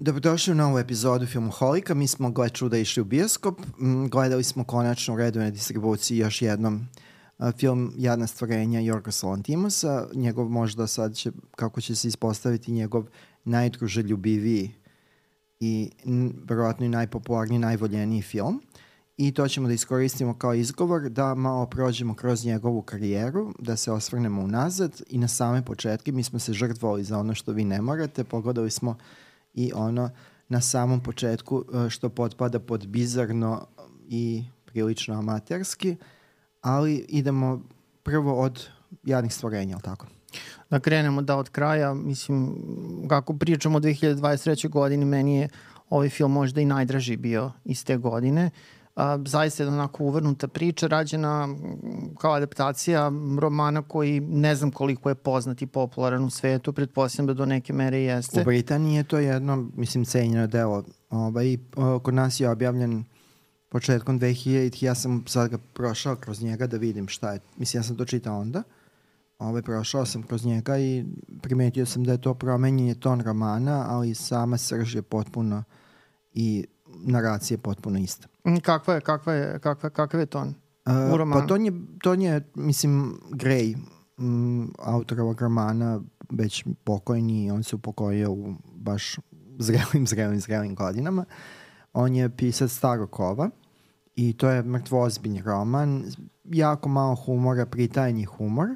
Dobrodošli u novu epizodu Filmoholika. Mi smo, gle čuda, išli u bioskop. Gledali smo konačno u redovnoj distribuciji još jednom film Jadna stvorenja Jorgos Lanthimosa. Njegov možda sad će, kako će se ispostaviti, njegov najdruželjubiviji i verovatno i najpopularniji, najvoljeniji film. I to ćemo da iskoristimo kao izgovor da malo prođemo kroz njegovu karijeru, da se osvrnemo unazad i na same početke. Mi smo se žrtvovali za ono što vi ne morate. Pogledali smo i ono na samom početku što potpada pod bizarno i prilično amaterski, ali idemo prvo od Jadnih stvorenja, ali tako? Da krenemo od kraja, mislim, kako pričamo o 2023. godini, meni je ovaj film možda i najdraži bio iz te godine. Zaista je onako uvrnuta priča, rađena kao adaptacija romana koji ne znam koliko je poznat i popularan u svetu, pretpostavljam da do neke mere jeste. U Britaniji je to jedno, mislim, cenjeno delo. Kod nas je objavljen početkom 2000, ja sam sad ga prošao kroz njega da vidim šta je. Mislim, ja sam to čitao onda. Prošao sam kroz njega i primetio sam da je to promenjenje ton romana, ali sama srž je potpuno i naracija je potpuno ista. Kakav je ton u romanu? Pa ton je, mislim, Gray, autor ovog romana, već pokojni, on se upokojio u baš zrelim godinama. On je pisac starog kova i to je mrtvoozbiljni roman, jako malo humora, pritajenji humor.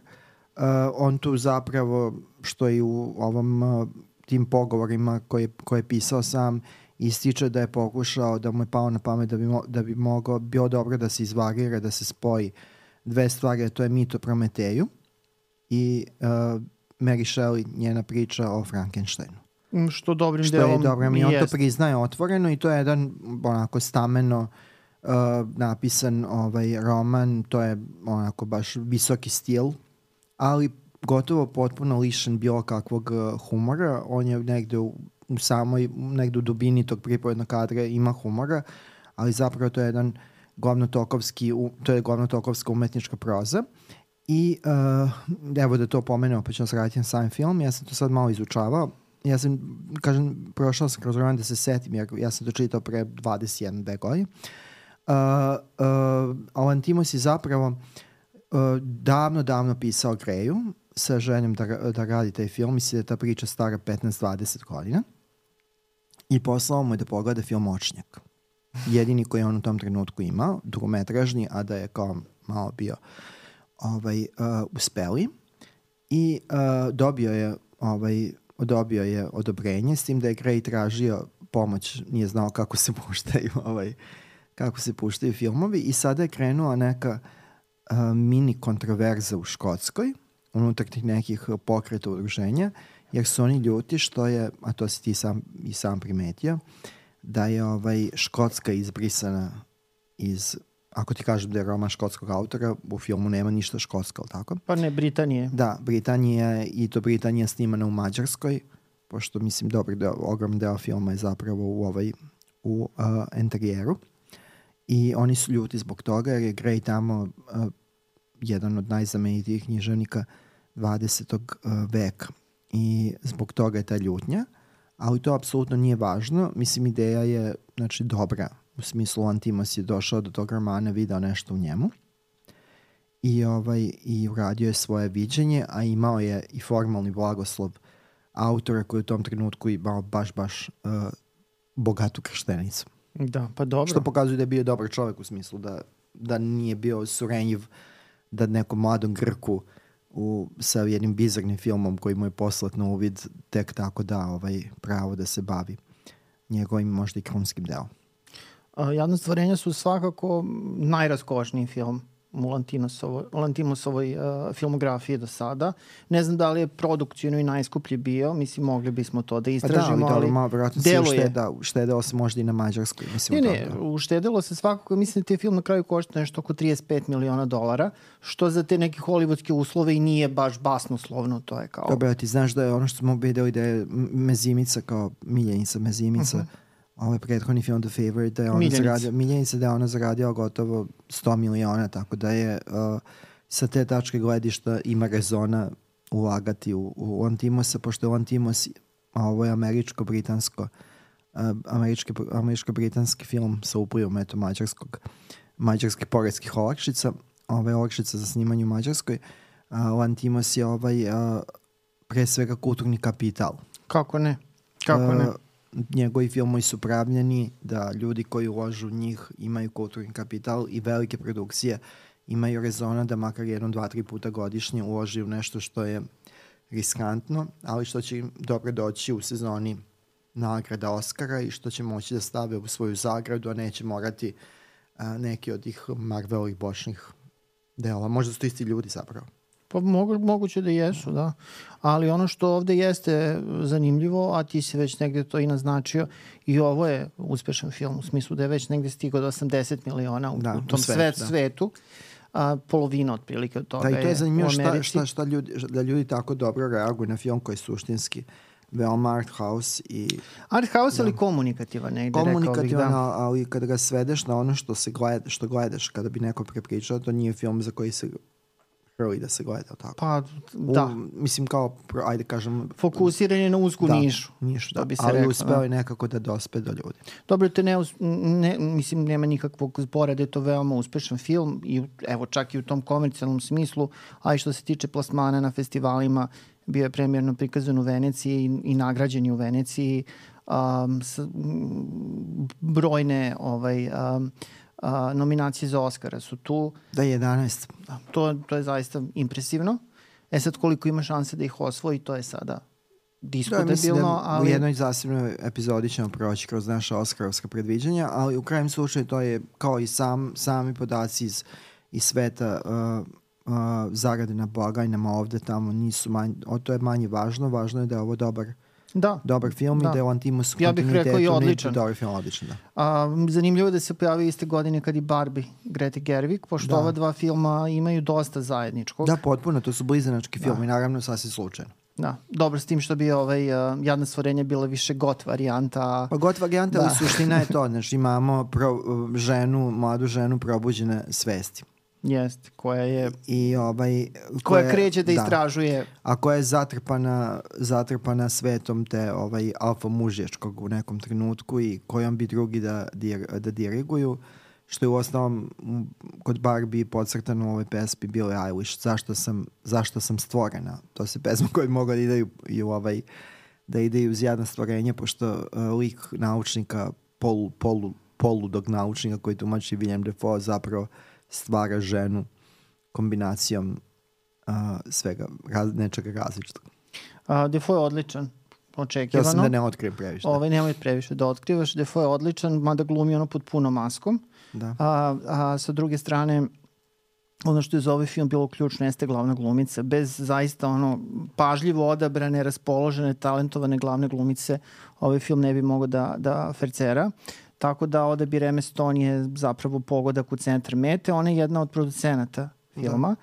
On tu zapravo, što i u ovom tim pogovorima koje je pisao sam, ističe da je pokušao, da mu je pao na pamet da bi mogao, bio dobro da se izvarira, da se spoji dve stvari, to je mit o Prometeju i Mary Shelley, njena priča o Frankensteinu. Što dobrim delom i on to priznaje otvoreno i to je jedan onako stameno napisan roman, to je onako baš visoki stil, ali gotovo potpuno lišen bilo kakvog humora. On je negde negde u dubini tog pripovednog kadra ima humora, ali zapravo to je jedan glavnotokovska umetnička proza. I evo da to pomenemo, pa ćemo se raditi na sam film. Ja sam to sad malo izučavao. Ja sam, prošao sam kroz roman da se setim, jer ja sam to čitao pre 21 godina. Lanthimos je zapravo davno pisao Greju sa željom da radi taj film. Mislim da je ta priča stara 15-20 godina. I poslao mu je da pogleda film Očnjak. Jedini koji je on u tom trenutku imao, dugometražni, a da je kao malo bio uspeli. I dobio je odobrenje, s tim da je Gray tražio pomoć, nije znao kako se puštaju filmovi i sada je krenula neka mini kontroverza u Škotskoj, unutar tih nekih pokreta udruženja, jer su oni ljuti što je, a to si ti sam primetio, da je Škotska izbrisana iz, ako ti kažem da je roman škotskog autora, u filmu nema ništa škotsko, ali tako? Pa ne, Britanije. Da, Britanija snimana u Mađarskoj, pošto mislim ogrom deo filma je zapravo u enterijeru. I oni su ljuti zbog toga jer je Gray tamo jedan od najznamenitijih književnika 20. veka. I zbog toga je ta ljutnja, ali to apsolutno nije važno. Mislim, ideja je dobra. U smislu, Lanthimos je došao do tog romana, video nešto u njemu i uradio je svoje viđenje, a imao je i formalni blagoslov autora koji u tom trenutku imao baš bogatu krštenicu. Da, pa dobro. Što pokazuje da je bio dobar čovjek u smislu da nije bio surenjiv da nekom mladom Grku sa jednim bizarnim filmom koji mu je poslat na uvid tek tako da pravo da se bavi njegovim možda i krunskim delom. Jadna stvorenja su svakako najraskošniji film u Lanthimosovoj filmografiji do sada. Ne znam da li je produkcijno i najskuplji bio, mislim mogli bismo to da istražimo, ali malo vjerojatno se uštedelo se možda i na Mađarskoj. Uštedelo se svakako, mislim da ti je film na kraju košta nešto oko $35 miliona, što za te neke hollywoodske uslove i nije baš basnoslovno, to je kao... Dobro, ti znaš da je ono što smo videli da je Mezimica kao miljenica Mezimica, ovaj prethodni film The Favorite, Miljenica da je ona zaradila gotovo 100 miliona, tako da je sa te tačke gledišta ima rezona ulagati u Lanthimosa, pošto je Lanthimos, a ovo je američko-britansko američko-britanski film sa uplivom mađarskih poreskih olakšica, olakšica za snimanje u Mađarskoj. Lantimos je pre svega kulturni kapital. Kako ne? Njegovi filmovi su pravljeni da ljudi koji uložu u njih imaju kulturni kapital i velike produkcije imaju rezona da makar 1, 2, 3 puta godišnje uloži u nešto što je riskantno, ali što će im dobro doći u sezoni nagrada Oscara i što će moći da stave u svoju zagradu, a neće morati neki od tih Marvelovih bočnih dela. Možda su to isti ljudi zapravo. Pa moguće da jesu, da. Ali ono što ovde jeste zanimljivo, a ti si već negde to i naznačio, i ovo je uspešan film, u smislu da je već negde stigao do 80 miliona u tom svetu. Polovina otprilike od toga je u Americi. Da, i to je zanimljivo da ljudi tako dobro reaguju na film koji je suštinski veoma art house i... Art house ili komunikativan, negde komunikativan, ali kada ga svedeš na ono što gledaš, kada bi neko prepričao, to nije film za koji se hrli da se gleda, tako. Pa, da. Mislim kao, ajde kažem... Fokusiran je na uzku nišu. Da bi se ali rekao, uspeo je nekako da dospe do ljudi. Dobro, mislim, nema nikakvog zbora da je to veoma uspešan film i evo čak i u tom komercijalnom smislu, a i što se tiče plasmana na festivalima, bio je premijerno prikazan u Veneciji i nagrađen je u Veneciji. Brojne nominacije za Oscara su tu. Da, 11. To je zaista impresivno. Sad koliko ima šanse da ih osvoji, to je sada diskutabilno. U jednoj zasebnoj epizodi ćemo proći kroz naša Oskarovska predviđanja, ali u krajem slučaju to je kao i sami podaci iz sveta zarade na blagajnama ovde tamo nisu to je manje važno. Važno je da je ovo dobar film i da je Lantimos u kontinuitetu i odličan. Dobar film, odličan, da. Zanimljivo je da se pojavio iste godine kad i Barbie Grete Gerwig, pošto ova dva filma imaju dosta zajedničkog. Da, potpuno, to su blizanački filmi, naravno sasvim slučajno. Da, dobro s tim što bi Jadna stvorenja bila više got varijanta. Pa got varijanta, ali suština je to, znači imamo mladu ženu probuđene svesti. Jeste, koja je koja kreće da istražuje. A koja je zatrpana svetom te alfa mužječkog u nekom trenutku i kojom bi drugi da diriguju, što je u osnovom kod Barbie podcrtano u ovoj pesmi Billie Eilish, zašto sam stvorena. To se pesma koje bi mogla da ide i uz Jadna stvorenja, pošto lik naučnika, poludog naučnika koji tumači Willem Dafoe zapravo stvara ženu kombinacijom svega, nečega različitog. Dafoe je odličan, očekivano. Ja sam da ne otkrijem previše. Nemoj previše da otkrivaš. Dafoe je odličan, mada glumi ono pod punom maskom. Da. A sa druge strane, ono što je za ovaj film bilo ključno jeste glavna glumica. Bez zaista pažljivo odabrane, raspoložene, talentovane glavne glumice ovaj film ne bi mogao da fercera. Tako da odabir Emma Stone je zapravo pogodak u centar mete. Ona je jedna od producenata filma.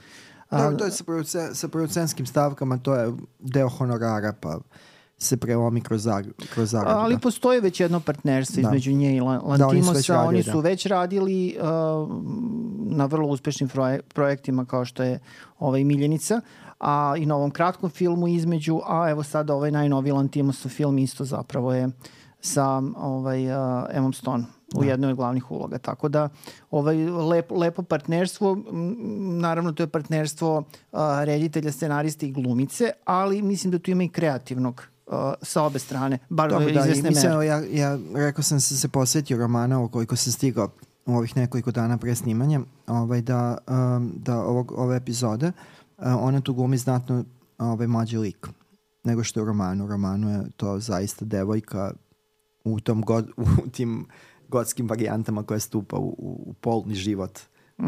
Da, to je sa producentskim stavkama, to je deo honorara, pa se prelomi kroz zaradu. Ali postoji već jedno partnerstvo između nje i Lantimosa. Oni su već radili na vrlo uspešnim projektima kao što je Miljenica, a i na ovom kratkom filmu između, a evo sada ovaj najnoviji Lantimosov film isto zapravo je sa Emmom Stone u jednoj od glavnih uloga. Tako da lepo partnerstvo, naravno to je partnerstvo reditelja, scenariste i glumice, ali mislim da tu ima i kreativnog sa obe strane, bar do izvesne mere. Ja rekao sam se posvetio romana koliko sam stigao u ovih nekoliko dana pre snimanja da ove epizode ona tu glumi znatno mlađi lik nego što je u romanu. U romanu je to zaista devojka u tim gotskim varijantama koja stupa u polni život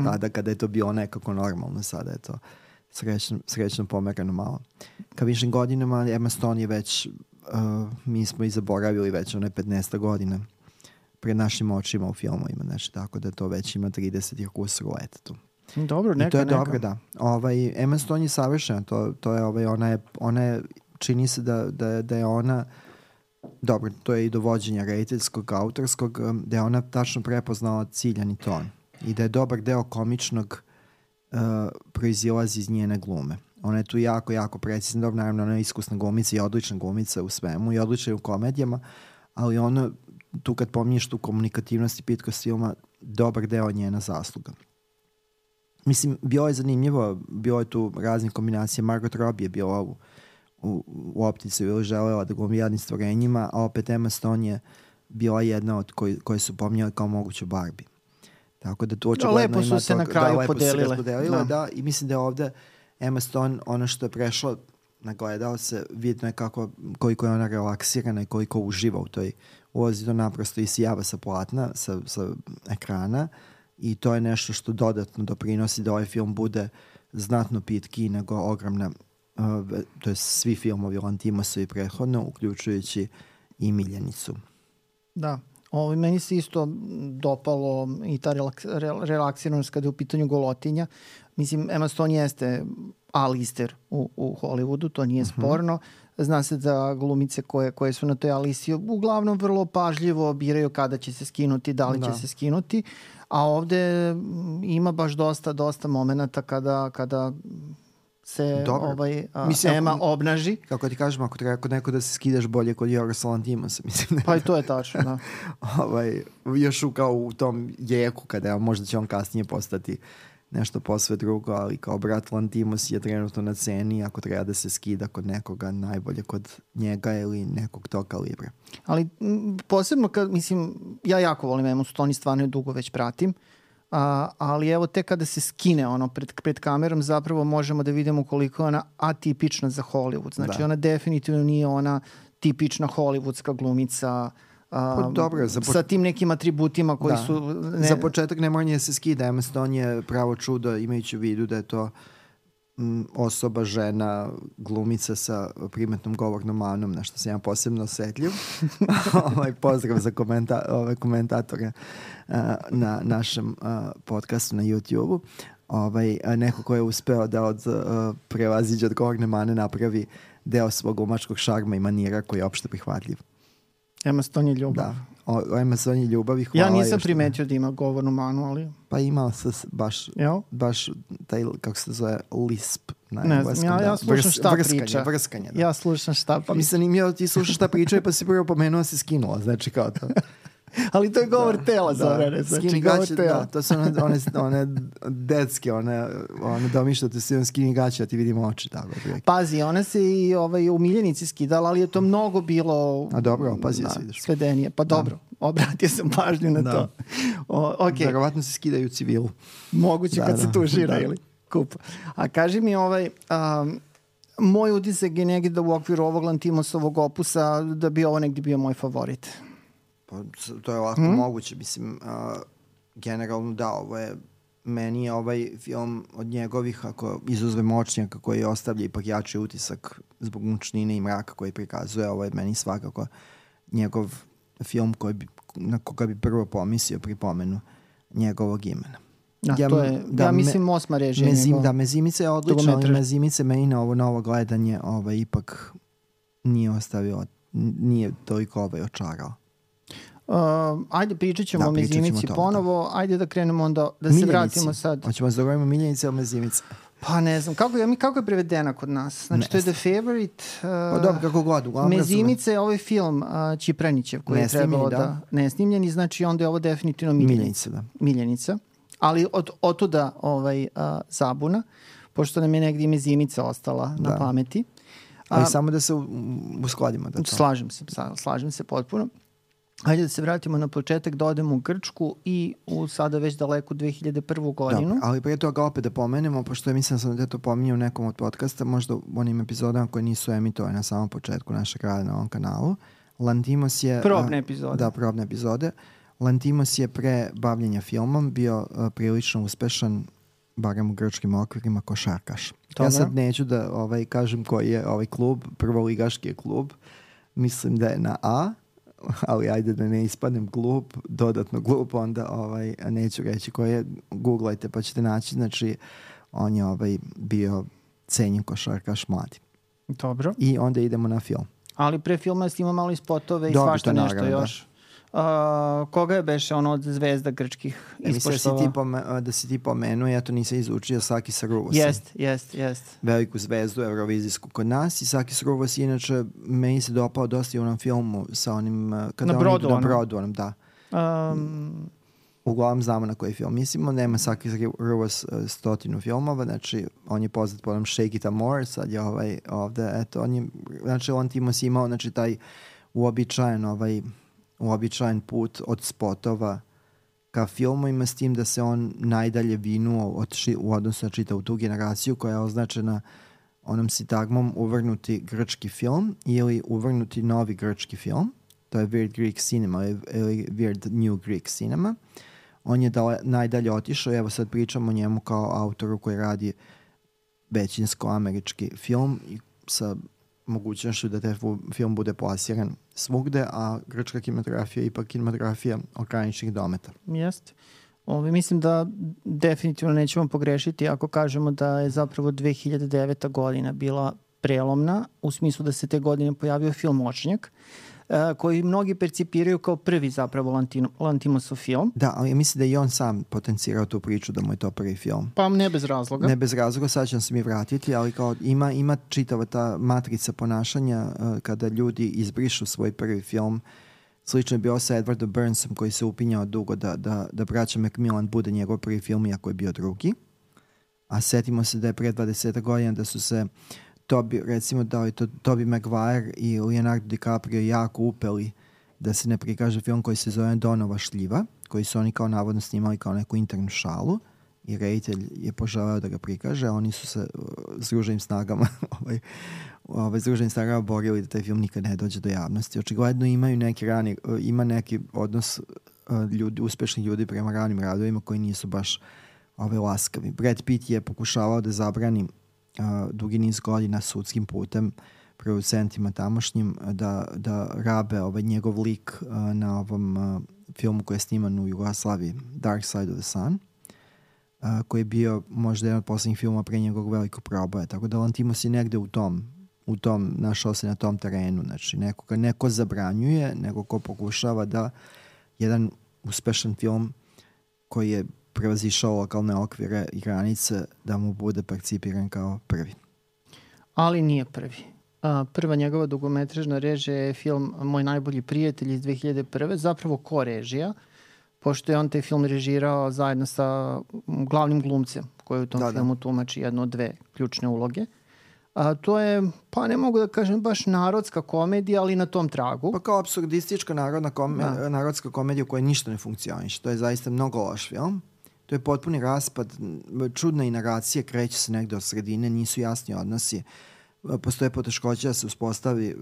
tada kada je to bilo nekako normalno, sada je to srećno pomerano malo. Ka višim godinama Emma Stone je već mi smo i zaboravili već 15 godina pred našim očima u filmovima, znači tako da to već ima 30 kusur leta tu. Dobro, neka. I to je dobro, da. Emma Stone je savršena, to je ona je čini se da je ona dobro, to je i dovođenja rediteljskog, autorskog, da je ona tačno prepoznala ciljani ton i da je dobar deo komičnog proizilazi iz njene glume. Ona je tu jako, jako precizna. Dobro, naravno, ona je iskusna glumica i odlična glumica u svemu i odlična u komedijama, ali ona tu kad pominješ tu komunikativnost i pitkost filma, dobar deo njena zasluga. Mislim, bilo je zanimljivo, bilo je tu razne kombinacije. Margot Robbie je bila u optici ili želela da glumi Jadnim stvorenjima, a opet Emma Stone je bila jedna od koje su pominjali kao moguću Barbie. Tako da tu očigledno lepo su se na kraju podelile. Da, i mislim da je ovde Emma Stone, ono što je prešlo na gledalce, vidno je koliko je ona relaksirana i koliko uživa u toj ulozi, to naprosto isijava sa platna, sa ekrana, i to je nešto što dodatno doprinosi da ovaj film bude znatno pitkiji nego ogromna, to je svi filmovi Lanthimos i prethodno, uključujući i Miljenicu. Da, meni se isto dopalo i ta relaksiranost kada je u pitanju golotinja. Mislim, Emma Stone jeste A-lister u Hollywoodu, to nije sporno. Zna se da glumice koje su na toj A-listi uglavnom vrlo pažljivo biraju kada će se skinuti, da li će se skinuti, a ovde ima baš dosta momenata kada se Emma obnaži. Kako ti kažem, ako treba kod neko da se skidaš bolje kod Yorgos Lanthimosa, mislim. Pa i to je tačno, da. Još kao u tom jeku, kada možda će on kasnije postati nešto posve drugo, ali kao brat Lanthimos je trenutno na ceni, ako treba da se skida kod nekoga, najbolje kod njega ili nekog tog kalibra. Ali posebno ja jako volim Emmu Stone i stvarno je dugo već pratim, ali evo tek kada se skine pred kamerom, zapravo možemo da vidimo koliko je ona atipična za Hollywood. Znači ona definitivno nije ona tipična hollywoodska glumica sa tim nekim atributima koji su... Za početak ne mora se skida. Emma Stone je pravo čudo, imajući u vidu da je to osoba, žena, glumica sa primetnom govornom manom, na što sam ja posebno osetljiv. Pozdrav za komentatore na našem podcastu na YouTube-u. Neko ko je uspeo da od prevaziđa od govorne mane napravi deo svog glumačkog šarma i manira koji je opšte prihvatljiv. Emma Stone je ljubav. Da, Emma Stone je ljubav i hvala. Ja nisam primetio da ima govornu manu, ali... Pa imao se baš taj, kako se zove, lisp. Ne znam, ja slušam šta priča. Vrskanje, da. Ja slušam šta priča. Pa mislim, ti slušaš šta priča pa si prvo pomenuo si skinula, znači kao to. Ali to je govor tela, Zorane. Znači, govor tela. Da, to su one detske, one domišljate se skini gaće, a ti vidimo oči. Tako. Pazi, ona se i u Miljenici skidala, ali je to mnogo bilo... A dobro, pazi da se vidiš. Svedenije. Pa dobro, obratio sam pažnju na to. Okay. Verovatno se skidaju u civilu. Moguće kad se tužira ili kupa. A kaži mi, moj utisak je negdje da u okviru ovog Lanthimosovog opusa da bi ovo negdje bio moj favorit. Pa to je lako moguće, mislim, generalno da, meni je ovaj film od njegovih, ako izuzve Moćnjaka koji ostavlja ipak jači utisak zbog mučnine i mraka koji prikazuje, ovo je meni svakako njegov film na koga bi prvo pomislio pri pomenu njegovog imena. Ja mislim Osma režija njegov. Da, Mezimica je odlična, ali Mezimica meni na ovo gledanje ipak nije toliko očarao. Ajde, pričat ćemo o Mezimici ponovo. Ajde da krenemo onda, da se vratimo sad. Hoćemo da govorimo Miljenice ili Mezimice? Pa ne znam, kako je prevedena kod nas? Znači, to je The Favorite. Pa dobro, kako god. Mezimice je ovaj film Čipranićev koji je trebalo da... Nesnimljen i znači onda je ovo definitivno Miljenica. Ali od tuda zabuna, pošto nam je negdje Mezimica ostala na pameti. Ali samo da se uskladimo. Slažem se potpuno. Hajde da se vratimo na početak, da odemo u Grčku i u sada već daleku 2001. godinu. Da, ali prije toga opet da pomenemo, pošto mislim sam da to pominjao u nekom od podcasta, možda u onim epizodama koje nisu emitovane na samom početku našeg rada na ovom kanalu. Lanthimos je... Probne epizode. Da, probne epizode. Lanthimos je pre bavljenja filmom bio prilično uspešan, barem u grčkim okvirima, košarkaš. Dobre. Ja sad neću da kažem koji je ovaj klub, prvoligaški je klub. Mislim da je na A, ali ajde da ne ispadnem glup, dodatno glup, onda neću reći koji je, googlajte pa ćete naći, znači on je bio cenjen košarkaš mladi. Dobro. I onda idemo na film. Ali pre filma snima malo i spotove i svašta nešto još. Koga je beše ono od zvezda grčkih ispoštovao? Mislim da si ti pomenuo, ja to nisam izučio, Sakis Ruvos. Jest. Veliku zvezdu eurovizijsku kod nas i Sakis Ruvos inače meni se dopao dosta i u onom filmu sa onim... Na brodu onom, da. Uglavnom znamo na koji film mislimo, nema Sakis Ruvos 100 filmova, znači on je poznat po onom Shake It a More, sad je ovde, eto, on Timos imao, znači taj uobičajen put od spotova ka filmovima, s tim da se on najdalje vinuo u odnosu na čitavu tu generaciju koja je označena onom sintagmom uvrnuti grčki film ili uvrnuti novi grčki film. To je Weird Greek Cinema ili Weird New Greek Cinema. On je najdalje otišao i evo sad pričamo o njemu kao autoru koji radi većinsko američki film i sa mogućnošću da taj film bude plasiran svugde, a grčka kinematografija je ipak kinematografija ograničenih dometa. Jeste. Mislim da definitivno nećemo pogrešiti ako kažemo da je zapravo 2009. godina bila prelomna, u smislu da se te godine pojavio film Močnjak, koji mnogi percipiraju kao prvi zapravo Lantimosov film. Da, ali mislim da i on sam potencirao tu priču da mu je to prvi film. Pa ne bez razloga. Ne bez razloga, sad ćemo se mi vratiti, ali kao ima čitava ta matrica ponašanja kada ljudi izbrišu svoj prvi film. Slično je bio sa Edwardom Burnsom koji se upinjao dugo da Braća Macmillan bude njegov prvi film, iako je bio drugi. A setimo se da je pre 20 godina da su se recimo da je to Tobey Maguire i Leonardo DiCaprio jako upeli da se ne prikaže film koji se zove Donova šljiva, koji su oni kao navodno snimali kao neku internu šalu i reditelj je poželeo da ga prikaže, a oni su se s druženim snagama borili da taj film nikad ne dođe do javnosti. Očigledno ima neki odnos uspešnih ljudi prema ranim radovima koji nisu baš laskavi. Brad Pitt je pokušavao da zabrani dugi niz godina sudskim putem producentima tamošnjim da rabe njegov lik na ovom filmu koji je sniman u Jugoslaviji, Dark Side of the Sun, koji je bio možda jedan od poslednjih filmova pre njegovog velikog proboja. Tako da Lantimos je negde u tom našao se na tom terenu. Znači neko zabranjuje, neko ko pokušava da jedan uspešan film koji je prevazišao lokalne okvire i granice da mu bude percipiran kao prvi. Ali nije prvi. Prva njegova dugometražna režija je film Moj najbolji prijatelj iz 2001. Zapravo ko-režija, pošto je on taj film režirao zajedno sa glavnim glumcem koji u tom filmu tumači jednu od dve ključne uloge. To je, pa ne mogu da kažem baš narodska komedija, ali na tom tragu. Pa kao apsurdistička narodska komedija u kojoj ništa ne funkcioniše. To je zaista mnogo loš film. To je potpuni raspad, čudna i naracija, kreće se negde od sredine, nisu jasni odnosi. Postoje poteškoća da se uspostavi,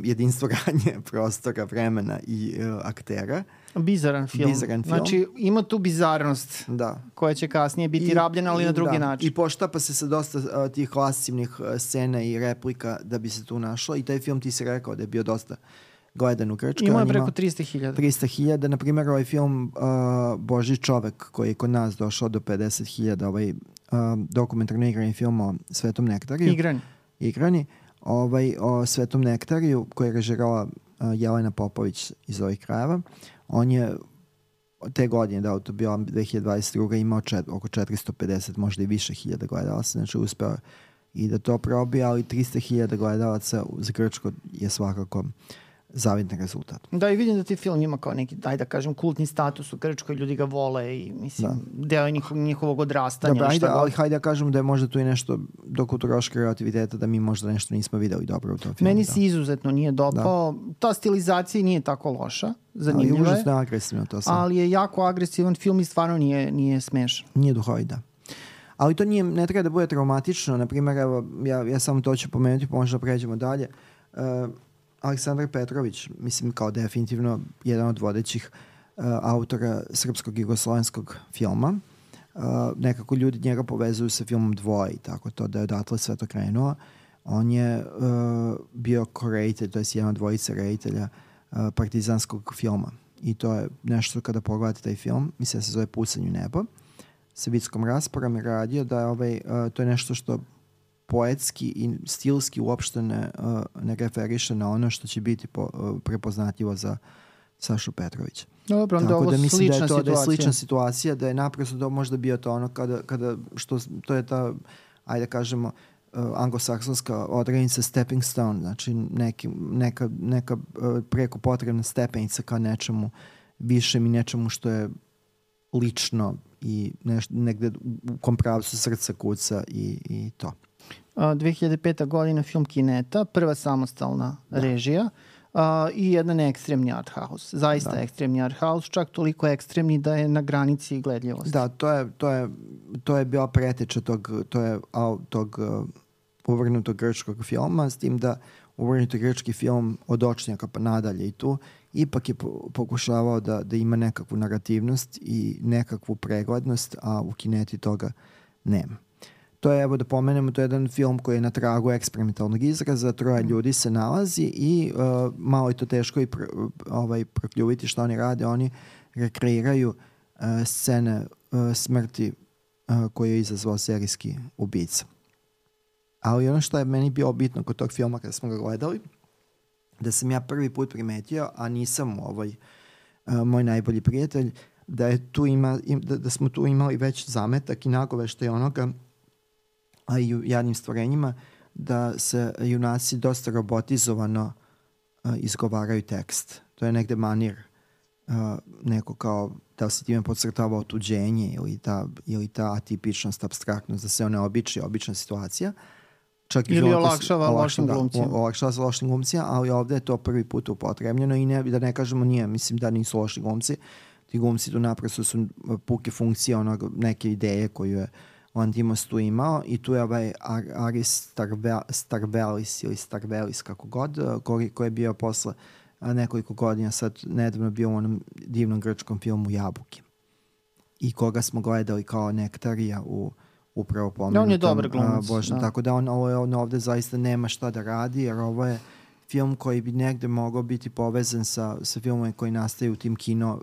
jedinstvo radnje prostora, vremena i aktera. Bizaran film. Znači, ima tu bizarnost koja će kasnije biti rabljena, ali na drugi način. I poštapa se sa dosta tih lascivnih scena i replika da bi se tu našlo. I taj film, ti si rekao da je bio dosta gledan u Grčkoj. Ima je preko 300.000. 300.000. Na primjer, ovaj film Božji čovek koji je kod nas došao do 50.000, ovaj dokumentarno igrani film o Svetom nektariju. Igrani. O Svetom nektariju koji je režirala Jelena Popović iz ovih krajeva. On je te godine, to bio 2022. imao oko 450, možda i više hiljada gledalaca, znači uspeo i da to probije, ali 300.000 gledalaca za Grčko je svakako zavidni rezultat. Da, i vidim da ti film ima kao neki, daj da kažem, kultni status u Grčkoj, ljudi ga vole i deo je njihovog odrastanja. Dobro, ali hajde da kažem da je možda tu i nešto do kulturoške relativiteta da mi možda nešto nismo videli dobro u tom filmu. Meni se izuzetno nije dopao. Ta stilizacija nije tako loša, zanimljiva je. Ali užasno agresivno to sam. Ali je jako agresivan film i stvarno nije smešan. Nije duhovit, da. Ali to ne treba da bude traumatično. Naprimjer, evo, ja samo to ću pomenuti, pa možda pređemo dalje. Aleksandar Petrović, mislim kao definitivno jedan od vodećih autora srpskog i jugoslovenskog filma. Nekako ljudi njega povezuju sa filmom Dvoje i tako to, da je odatle sve to krenuo. On je bio ko-reditelj, to je jedan od dvojice reditelja partizanskog filma. I to je nešto kada pogledate taj film, mislim da se zove Pucanj u nebo, sa Vickom Rasporom je radio da je to je nešto što poetski i stilski uopšte ne referiše na ono što će biti prepoznatljivo za Sašu Petrovića. Dobro, onda tako ovo da mislim slična da je to situacija. Da je slična situacija, da je naprosto to možda bio to ono kada što to je ta, ajde kažemo, anglosaksonska odrednica stepping stone, znači neka preko potrebna stepenica ka nečemu višem i nečemu što je lično i negde u kom pravcu srca kuca i to. 2005. godina, film Kineta, prva samostalna režija i jedan ekstremni art house. Zaista ekstremni art house, čak toliko ekstremni da je na granici gledljivosti. Da, to je bila preteča tog uvrnutog grčkog filma, s tim da uvrnuti grčki film od Očnjaka pa nadalje i tu ipak je pokušavao da ima nekakvu narativnost i nekakvu preglednost, a u Kineti toga nema. To je, evo da pomenemo, to je jedan film koji je na tragu eksperimentalnog izraza, 3 ljudi se nalazi i malo je to teško i prokljuviti što oni rade. Oni rekreiraju scene smrti koje je izazvao serijski ubica. Ali ono što je meni bilo bitno kod tog filma kada smo ga gledali, da sam ja prvi put primetio, a nisam moj najbolji prijatelj, da smo tu imali već zametak i nagoveštaj onoga, a i u Jadnim stvorenjima, da se junaci dosta robotizovano izgovaraju tekst. To je negde manir neko kao da se time podcrtava otuđenje ili ta atipičnost, apstraktnost, da se one obična situacija. Čak ili olakšava lošim glumcima. Olakšava sa lošim glumcima, ali ovde je to prvi put upotrebljeno i da ne kažemo nije, mislim da nisu loši glumci. Ti glumci tu naprosto su puke funkcije neke ideje koju je Lantimos tu imao i tu je Aris Starvelis ili Starvelis kako god, koji je bio posle nekoliko godina sad nedavno bio u onom divnom grčkom filmu Jabuke i koga smo gledali kao nektarija upravo pomenutom. On je dobar glumac. Tako da on ovde zaista nema šta da radi, jer ovo je film koji bi negde mogao biti povezan sa filmom koji nastaju u tim kino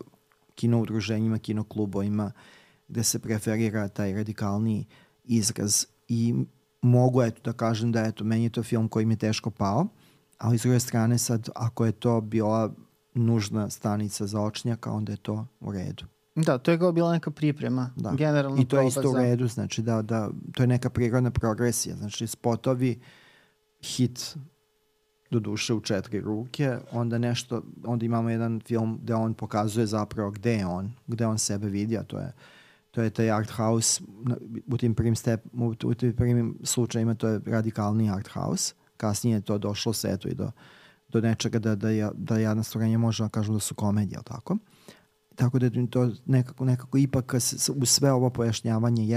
udruženjima, kino klubovima, gde se preferira taj radikalni izraz i mogu da kažem da meni je to film koji mi je teško pao, ali s druge strane sad ako je to bila nužna stanica za Očnjaka, onda je to u redu. Da, to je kao bila neka priprema, generalna. I to je isto u redu, znači da to je neka prirodna progresija, znači spotovi, hit do duše u 4 ruke, onda imamo jedan film gde on pokazuje zapravo gde on sebe vidi, a to je taj art house, u tim prvim slučajima to je radikalni art house, kasnije je to došlo svetu i do nečega da Jadna stvorenja možemo kažemo da su komedije, tako? Tako da je to nekako ipak u sve ovo pojašnjavanje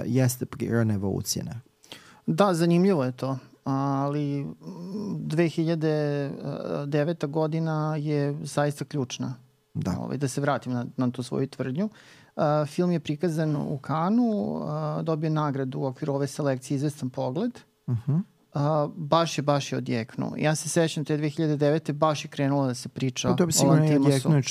jeste prirodna evolucija. Ne? Da, zanimljivo je to, ali 2009. godina je zaista ključna. Da se vratim na tu svoju tvrdnju. Film je prikazan u Kanu, dobio nagradu u okviru ove selekcije Izvestan pogled. Baš je odjeknuo. Ja se sećam te 2009. baš je krenulo da se priča o Lantimosu. To bi sigurno je odjeknuo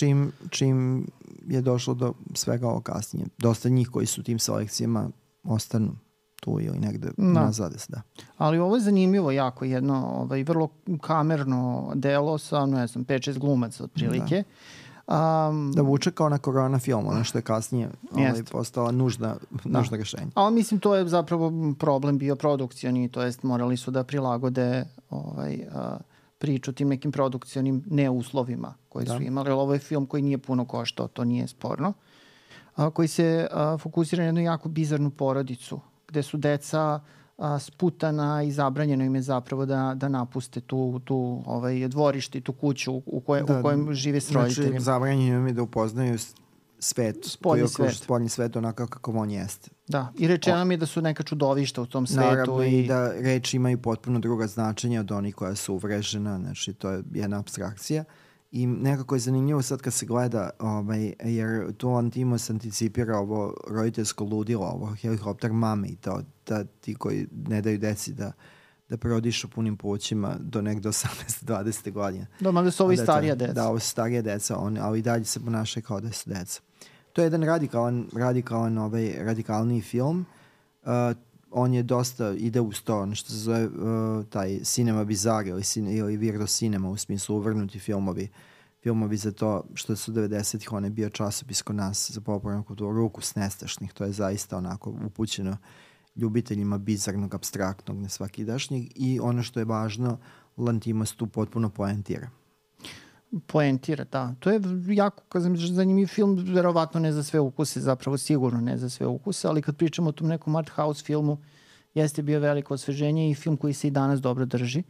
čim je došlo do svega ovo kasnije. Dosta njih koji su tim selekcijama ostanu tu ili negde nazad. Da. Ali ovo je zanimljivo jako, jedno vrlo kamerno delo sa 5-6 glumaca otprilike. Da vuče kao na korona film, ono što je kasnije postala nužna rešenja. Ali mislim to je zapravo problem bio produkcioni, to jest morali su da prilagode priču tim nekim produkcionim neuslovima koje su imali. Ovo je film koji nije puno koštao, to nije sporno. Koji se fokusira na jednu jako bizarnu porodicu, gde su deca sputana i zabranjeno im je zapravo da napuste tu dvorište, tu kuću u kojem žive s roditeljima. Znači, zabranjeno im je da upoznaju svet, spoljni svet onako kako on jeste. Da, i rečeno mi je da su neka čudovišta u tom svetu. Naravno i da reči imaju potpuno druga značenja od onih koja su uvrežena, znači to je jedna abstrakcija. I nekako je zanimljivo sad kad se gleda, jer tu Lantimos anticipira ovo roditeljsko ludilo, ovo helikopter mame i to, ti koji ne daju deci da prodišu punim plućima do negde 18-20 godina. Da, mada su ovi starija deca. Da, ovo su starija deca, ali i dalje se ponašaju kao da su deca. To je jedan radikalni film. On je dosta, ide uz to, ono što se zove taj cinema bizarre ili Virdo cinema, u smislu uvrnuti filmovi filmovi za to što su 90-ih, on je bio časopis kod nas za popularnu kulturu, Ruku s nestašnih, to je zaista onako upućeno ljubiteljima bizarnog, apstraktnog, nesvakidašnjeg, i ono što je važno, Lantimos tu potpuno poentira. Poentira, da. To je jako, kažem, zanimljiv film, verovatno ne za sve ukuse, zapravo sigurno ne za sve ukuse, ali kad pričamo o tom nekom art house filmu, jeste bio veliko osveženje i film koji se i danas dobro drži.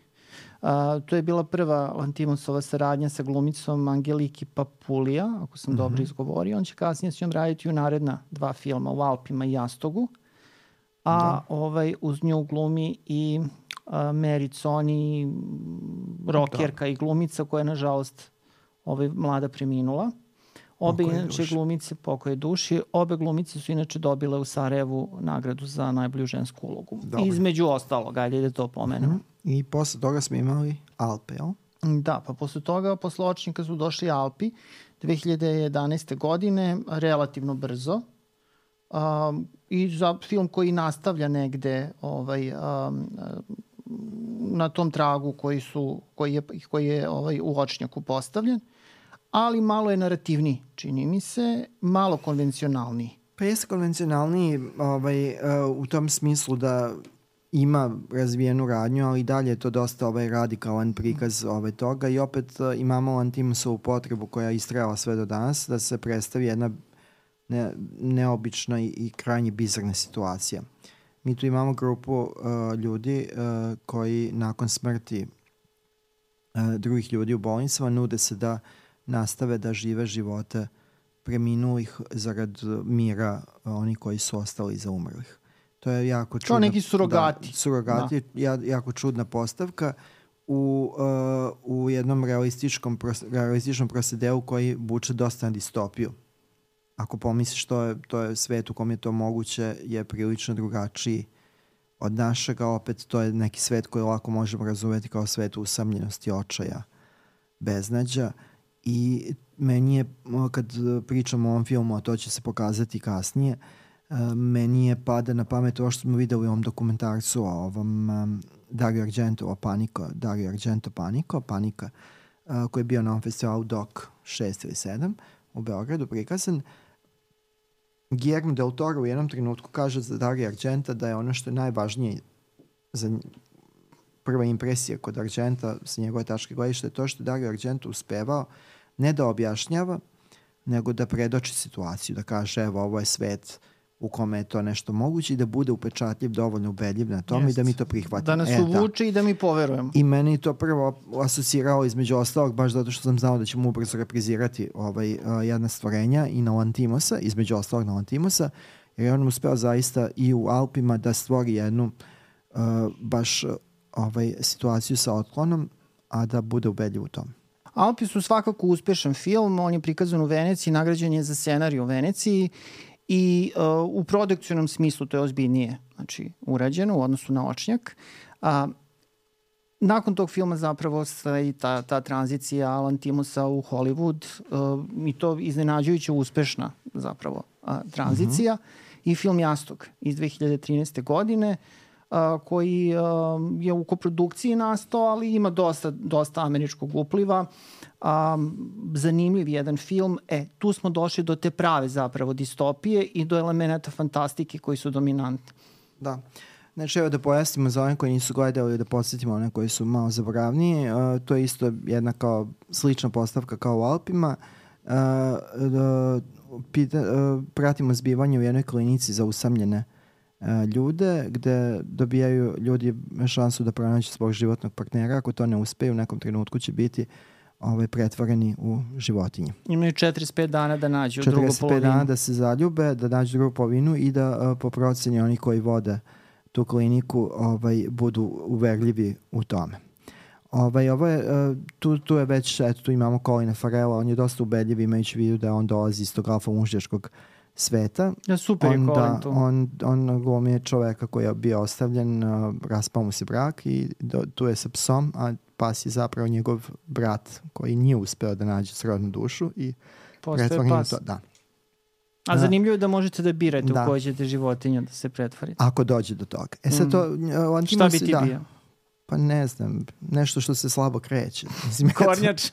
To je bila prva Lantimosova saradnja sa glumicom Angeliki Papulija, ako sam dobro izgovorio. On će kasnije s njom raditi u naredna 2 filma, U Alpima i Jastogu. Uz nju glumi i Mary Coni, rokerka i glumica koja je nažalost mlada preminula. Obe inače glumice, pokoj duši, obe glumice su inače dobile u Sarajevu nagradu za najbolju žensku ulogu. Dobre. Između ostalog, ajde da to pomenemo. I posle toga smo imali Alpe, jel? Da, pa posle toga, posle Očnika su došli Alpi 2011. godine, relativno brzo. I za film koji nastavlja negde na tom tragu koji je u Očnjaku postavljen, ali malo je narativniji, čini mi se, malo konvencionalniji. Pa jeste konvencionalniji u tom smislu da ima razvijenu radnju, ali dalje je to dosta radikalan prikaz toga, i opet imamo Lantimosovu potrebu koja je istrajala sve do danas da se predstavi jedna neobična i krajnje bizarna situacija. Mi tu imamo grupu ljudi koji nakon smrti drugih ljudi u bolnicama nude se da nastave da žive živote preminulih zarad mira onih koji su ostali iza umrlih. To je jako čudna... Kao neki surogati. Da, surogati, jako čudna postavka u jednom realističnom prosedeu koji vuče dosta na distopiju. Ako pomisliš to je svet u kom je to moguće, je prilično drugačiji od našega. Opet to je neki svet koji lako možemo razumeti kao svet usamljenosti, očaja, beznađa. I meni je, kad pričamo o ovom filmu, a to će se pokazati kasnije, meni je pada na pamet ovo što smo videli u ovom dokumentarcu o ovom Dario Argento Panika, koji je bio na ovom festivalu DOC 6 ili 7 u Beogradu prikazan. Guillermo del Toro u jednom trenutku kaže za Dario Argenta da je ono što je najvažnije za prva impresija kod Argenta sa njegove tačke gledišta je to što je Dario Argento uspevao ne da objašnjava, nego da predoči situaciju, da kaže evo ovo je svet u kome je to nešto moguće i da bude upečatljiv, dovoljno ubedljiv na tom i da mi to prihvatimo. Da nas uvuče i da mi poverujemo. I meni to prvo asocirao između ostalog, baš zato što sam znao da ćemo ubrzo reprizirati jedna stvorenja i na Lantimosa, između ostalog na Lantimosa, jer je on uspeo zaista i u Alpima da stvori jednu baš situaciju sa otklonom, a da bude ubedljiv u tom. Alpi su svakako uspešan film, on je prikazan u Veneciji, nagrađen je za scenarij u Veneciji i u produkcionom smislu to je ozbiljnije urađeno u odnosu na Očnjak. Nakon tog filma zapravo i ta tranzicija Lantimosa u Hollywood i to iznenađujuće uspešna zapravo tranzicija i film Jastog iz 2013. godine koji je u koprodukciji nastao, ali ima dosta američkog upliva. Zanimljiv jedan film. Tu smo došli do te prave zapravo distopije i do elemenata fantastike koji su dominantni. Da. Znači, evo da pojasnimo za one koji nisu gledali, da podsjetimo one koji su malo zaboravniji. To je isto jedna kao slična postavka kao u Alpima. Pratimo zbivanje u jednoj klinici za usamljene ljude, gde dobijaju ljudi šansu da pronađu svog životnog partnera. Ako to ne uspeju, u nekom trenutku će biti pretvoreni u životinje. Imaju 45 dana da nađu drugu polovinu. 45 dana da se zaljube, da nađu drugu polovinu i da po proceni oni koji vode tu kliniku budu uverljivi u tome. Tu je već, tu imamo Colina Farrella, on je dosta ubedljiv imajući vidu da on dolazi iz tog alfa-mužjačkog sveta. Ja, super je Colin tu. On glumi čoveka koji je bio ostavljen, raspao mu se brak i tu je sa psom, a pas je zapravo njegov brat koji nije uspeo da nađe srodnu dušu i pretvori na to. Da. A zanimljivo je da možete da birate u kojoj ćete životinju da se pretvorite. Ako dođe do toga. Sad to, šta bi ti bio? Pa ne znam, nešto što se slabo kreće. Mislim, Kornjač.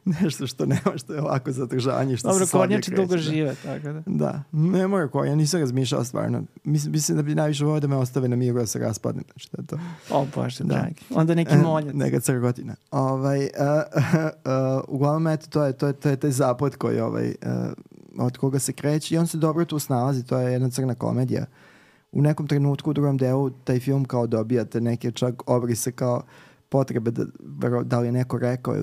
Nešto što nema, što je ovako zadržanje, što Dobro, se slabije kornjači kreće. dugo žive, tako da. Da, ne mora kornja, nisam razmišljao stvarno. Mislim da bi najviše volio da me ostave na miru da se raspadne. Znači, da je to. O Bože, dragi. Onda neki moljac. Neka crgotina. Uglavnom, eto, to je taj zapad koji od koga se kreće i on se dobro tu snalazi, to je jedna crna komedija. U nekom trenutku u drugom delu taj film kao dobijate neke čak obrise kao potrebe da li je neko rekao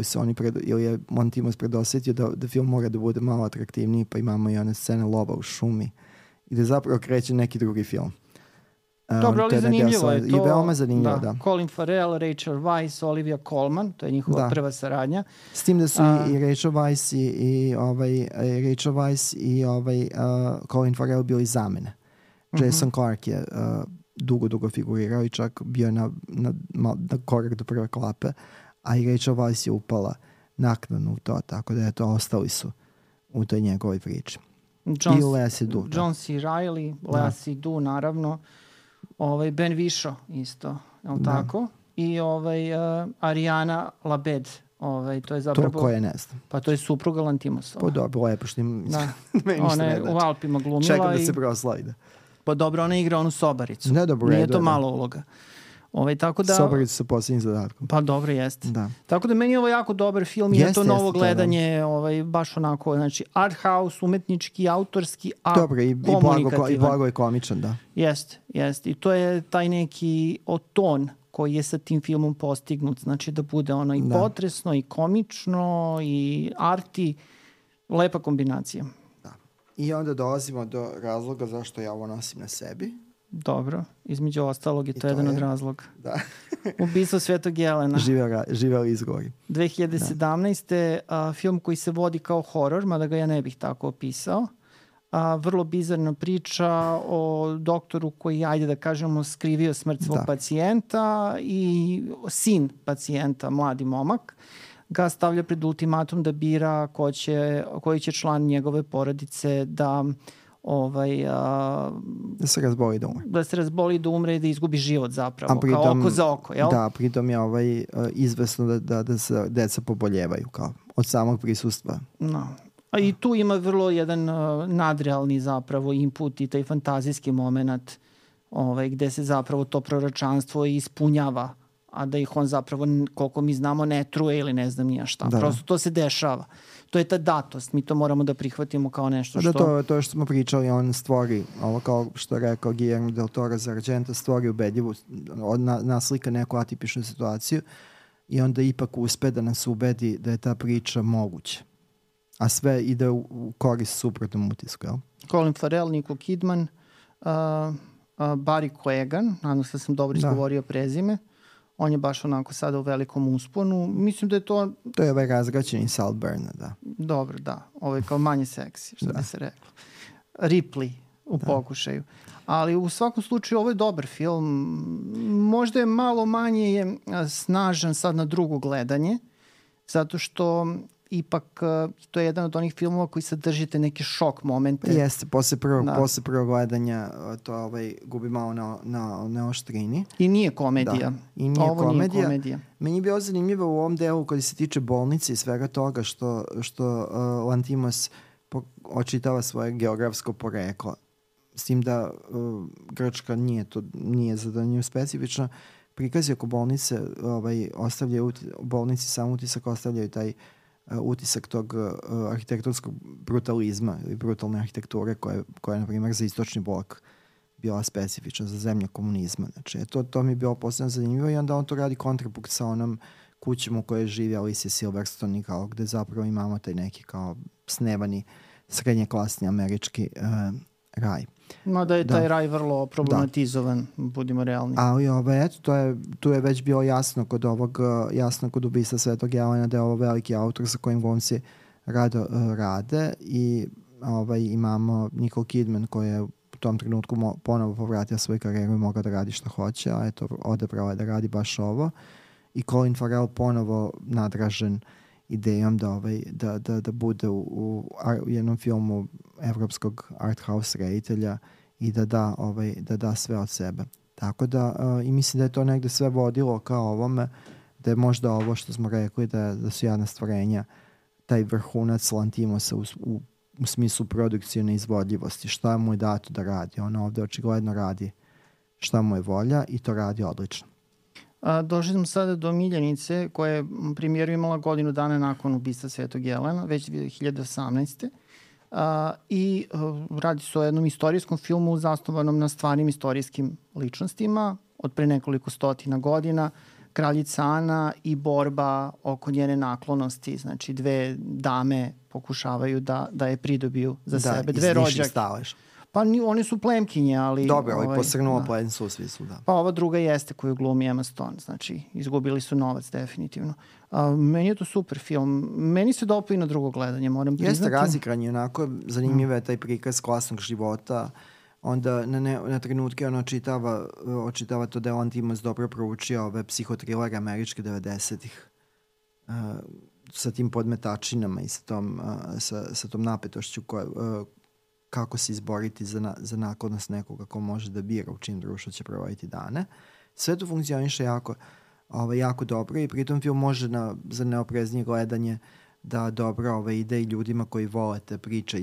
ili je Lanthimos predosjetio da film mora da bude malo atraktivniji, pa imamo i one scene lova u šumi i da zapravo kreće neki drugi film. Dobro, ali zanimljivo je to. I veoma zanimljivo, da. Colin Farrell, Rachel Weisz, Olivia Colman, to je njihova prva saradnja. S tim da su i Rachel Weisz i Colin Farrell bili zamene. Jason Clarke je dugo figurirao i čak bio na korak do prve klape, a i Rachel Weisz je upala naknadno u to, tako da ostali su u toj njegovoj priči. I Lea Seydoux. John C. Reilly, Lea Seydoux, naravno. Ben Whishaw isto, je li tako? I Ariana Labed. To je zapravo... To koje ne znam. Pa to je supruga Lanthimosova. Pa dobro, lepo što im... Ona je u Alpima glumila. Čekam da se proslavi, da. Pa dobro, ona igra onu sobaricu. Ne, dobro, nije to malo uloga. Tako da... Sobaricu sa posljednjim zadatkom. Pa dobro, jeste. Da. Tako da meni je ovo jako dobar film i to novo gledanje, baš onako, znači art house, umetnički, autorski, a dobro, komunikativan. I blago je komičan, da. Jeste. I to je taj neki ton koji je sa tim filmom postignut. Znači da bude ono i potresno, i komično, i arti. Lepa kombinacija. Da. I onda dolazimo do razloga zašto ja ovo nosim na sebi. Dobro, između ostalog je to jedan od razloga. Da. Ubistvo Svetog Jelena. Živeli izgovori. 2017. Film koji se vodi kao horor, mada ga ja ne bih tako opisao. Vrlo bizarna priča o doktoru koji, ajde da kažemo, skrivio smrt svog pacijenta i sin pacijenta, mladi momak, ga stavlja pred ultimatum da bira koji će član njegove porodice da se razboli da umre. Da se razboli da umre i da izgubi život zapravo, kao oko za oko, jel? Da, pritom je izvesno da se deca poboljevaju kao od samog prisustva. No. A i tu ima vrlo jedan nadrealni zapravo input i taj fantazijski moment gde se zapravo to proročanstvo ispunjava, a da ih on zapravo, koliko mi znamo, ne truje ili ne znam nija šta. Prosto to se dešava. To je ta datost, mi to moramo da prihvatimo kao nešto što... Da, to što smo pričali, on stvori, ovo kao što je rekao Guillermo del Toro za Argenta, stvori ubedljivu, naslika neku atipičnu situaciju i onda ipak uspe da nas ubedi da je ta priča moguća. A sve ide u korist suprotnom utisku, jel? Colin Farrell, Nicole Kidman, Barry Keoghan, nadam se da sam dobro izgovorio prezime. On je baš onako sada u velikom usponu. Mislim da je to... To je razgraćeni Saltburn, da. Dobro, da. Ovo je kao manje seksi, što bi se reklo. Ripley u pokušaju. Ali u svakom slučaju ovo je dobar film. Možda je malo manje snažan sad na drugo gledanje, zato što ipak to je jedan od onih filmova koji sadržite neke šok momente. Jeste, posle prvog gledanja to gubi malo na oštrini. I nije komedija. I nije komedija. Meni je bilo zanimljivo u ovom delu koji se tiče bolnice i svega toga što Lanthimos očitava svoje geografsko poreklo. S tim da Grčka nije za nju specifično. Prikazi oko bolnice ostavljaju bolnici sam utisak, ostavljaju taj utisak tog arhitektonskog brutalizma ili brutalne arhitekture koja je, na primjer, za istočni blok bila specifična, za zemlju komunizma. Znači, to mi je bilo posebno zanimljivo i onda on to radi kontrapunkt sa onom kućom u kojoj živi Alicia Silverstone, kao gde zapravo imamo taj neki kao snevani srednjeklasni američki raj. Da je taj raj vrlo problematizovan, budimo realni. Ali tu je već bilo jasno kod Ubistva Svetog Jelena da je ovo veliki autor sa kojim glumci rade i imamo Nicole Kidman koja je u tom trenutku ponovo povratila svoju karijeru i mogla da radi što hoće, a odabrala je da radi baš ovo. I Colin Farrell ponovo nadražen idejom da bude u jednom filmu evropskog art house reditelja i da da sve od sebe. Tako da, i mislim da je to negde sve vodilo kao ovome, da je možda ovo što smo rekli da su Jadna stvorenja taj vrhunac Lantimosa u smislu produkcijne izvodljivosti. Šta mu je dato da radi? On ovde očigledno radi šta mu je volja i to radi odlično. Došli smo sada do Miljanice, koja je premijeru imala godinu dana nakon ubistva Svetog Jelena, već 2018. Radi se o jednom istorijskom filmu zasnovanom na stvarnim istorijskim ličnostima od pre nekoliko stotina godina. Kraljica Ana i borba oko njene naklonosti, znači dve dame pokušavaju da je pridobiju za sebe. Dve rođake. Pa one su plemkinje, ali... Dobro, ali posrnulo plenstvo u smislu, da. Pa ova druga jeste koju glumi Emma Stone, znači izgubili su novac definitivno. Meni je to super film. Meni se dopao i na drugo gledanje, moram priznati. Jeste razikran, onako zanimljiv je taj prikaz klasnog života. Onda na trenutke on očitava to da je Lantimos dobro proučio ove psihotrilere američke 90-ih sa tim podmetačinama i sa tom napetošću kako se izboriti za naklonost nekoga ko može da bira u čim društvu će provoditi dane. Sve to funkcioniše jako dobro i pritom film može za neopreznije gledanje da dobro ide i ljudima koji vole te priče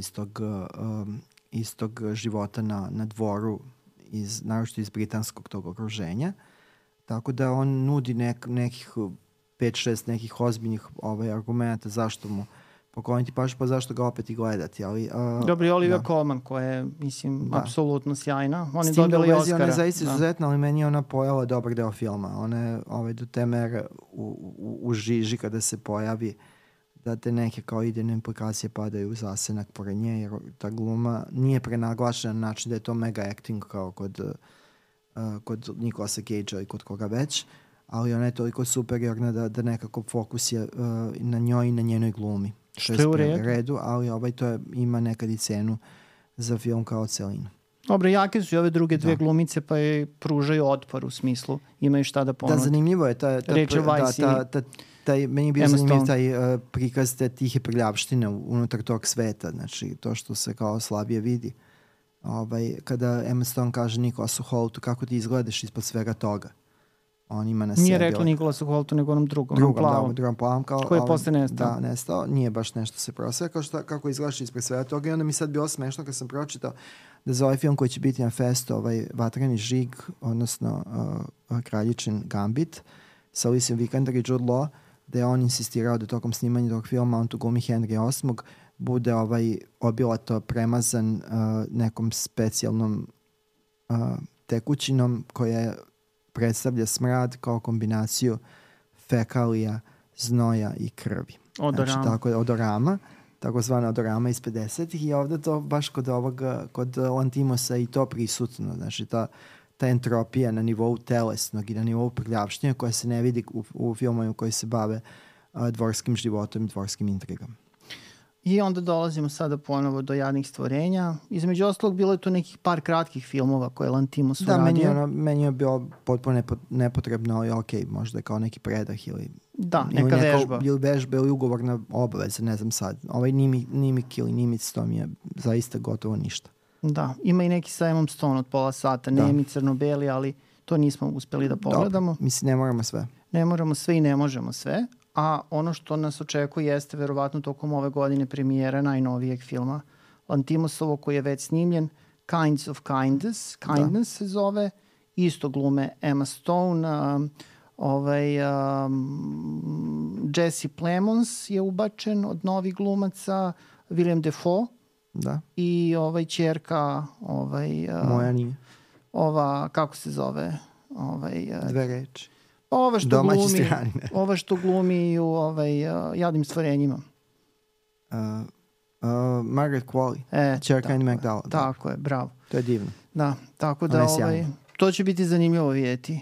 iz tog života na dvoru, naročito iz britanskog tog okruženja. Tako da on nudi nekih 5-6 nekih ozbiljnih argumenta zašto mu pokloniti pažnju, pa zašto ga opet i gledati. Dobro, i Olivia Colman, koja je, mislim, apsolutno sjajna. Oni dobili Oscara. Ona je zaista izuzetna, ali meni je ona pojela dobar deo filma. Ona je do te mere u žiži kada se pojavi da te neke kao idejne implikacije padaju u zasenak pored nje, jer ta gluma nije prenaglašena na način da je to mega acting kao kod Nicolasa Cagea i kod koga već, ali ona je toliko superiorna da nekako fokus je na njoj i na njenoj glumi. Što je u redu. Ali to ima nekad i cenu za film kao celinu. Dobro, jake su i ove druge dve glumice, pa je pružaju otpor u smislu, imaju šta da ponude. Da, zanimljivo je meni je bio zanimljiv taj prikaz te tihe prljavštine unutar tog sveta, znači to što se kao slabije vidi. Kada Emma Stone kaže Nicolasu Holtu kako ti izgledaš ispod svega toga. On ima na sebi. Nije rekla Nicolasu Holtu, nego onom drugom plavom. Koji je posle nestao. Da, nestao. Nije baš nešto se prosvekao kako izgledaš ispred svega toga. I onda mi sad bilo smešno kad sam pročitao da za ovaj film koji će biti na festu, Vatreni žig, odnosno Kraljičin Gambit, sa Alicijom Vikander i Jude Law, da je on insistirao da tokom snimanja tog filma, on tu glumi Henry VIII, bude obilato premazan nekom specijalnom tekućinom koja predstavlja smrad kao kombinaciju fekalija, znoja i krvi. Odorama. Znači, odorama, takozvana odorama iz 50-ih i ovde to baš kod Lantimosa i to prisutno. Znači, ta entropija na nivou telesnog i na nivou prljavštine koja se ne vidi u filmovima koji se bave dvorskim životom i dvorskim intrigama. I onda dolazimo sada ponovo do Jadnih stvorenja. Između ostalog bilo je tu nekih par kratkih filmova koje Lantimos uradio. Da, meni je bilo potpuno nepotrebno, ali okej, možda je kao neki predah ili neka vežba. Ili vežba ili ugovorna obaveza, ne znam sad. Nimik ili Nimic, to mi je zaista gotovo ništa. Da, ima i neki sa Emmom Stone od pola sata, nemi, crno-beli, ali to nismo uspeli da pogledamo. Dobro, mislim, ne moramo sve. Ne moramo sve i ne možemo sve, a ono što nas očekuje jeste verovatno tokom ove godine premijera najnovijeg filma Lantimosovog koji je već snimljen, Kinds of Kindness se zove, isto glume Emma Stone, Jesse Plemons je ubačen od novih glumaca, Willem Dafoe, da. I ćerka moja nije. Kako se zove? Dve reči. Ova što glumi u Jadnim stvorenjima. Margaret Qualley, ćerka Andy McDowell. Tako je, bravo. To je divno. Da, tako da to će biti zanimljivo vidjeti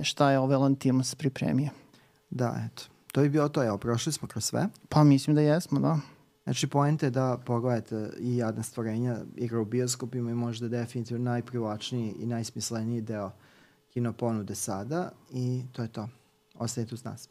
šta je Lantimos pripremio. Da, eto. To je bilo to, evo, prošli smo kroz sve. Pa mislim da jesmo, da. Znači, poenta je da pogledate i Jadna stvorenja, igra u bioskopima i možda definitivno najprivlačniji i najsmisleniji deo kino ponude sada i to je to. Ostajete uz nas.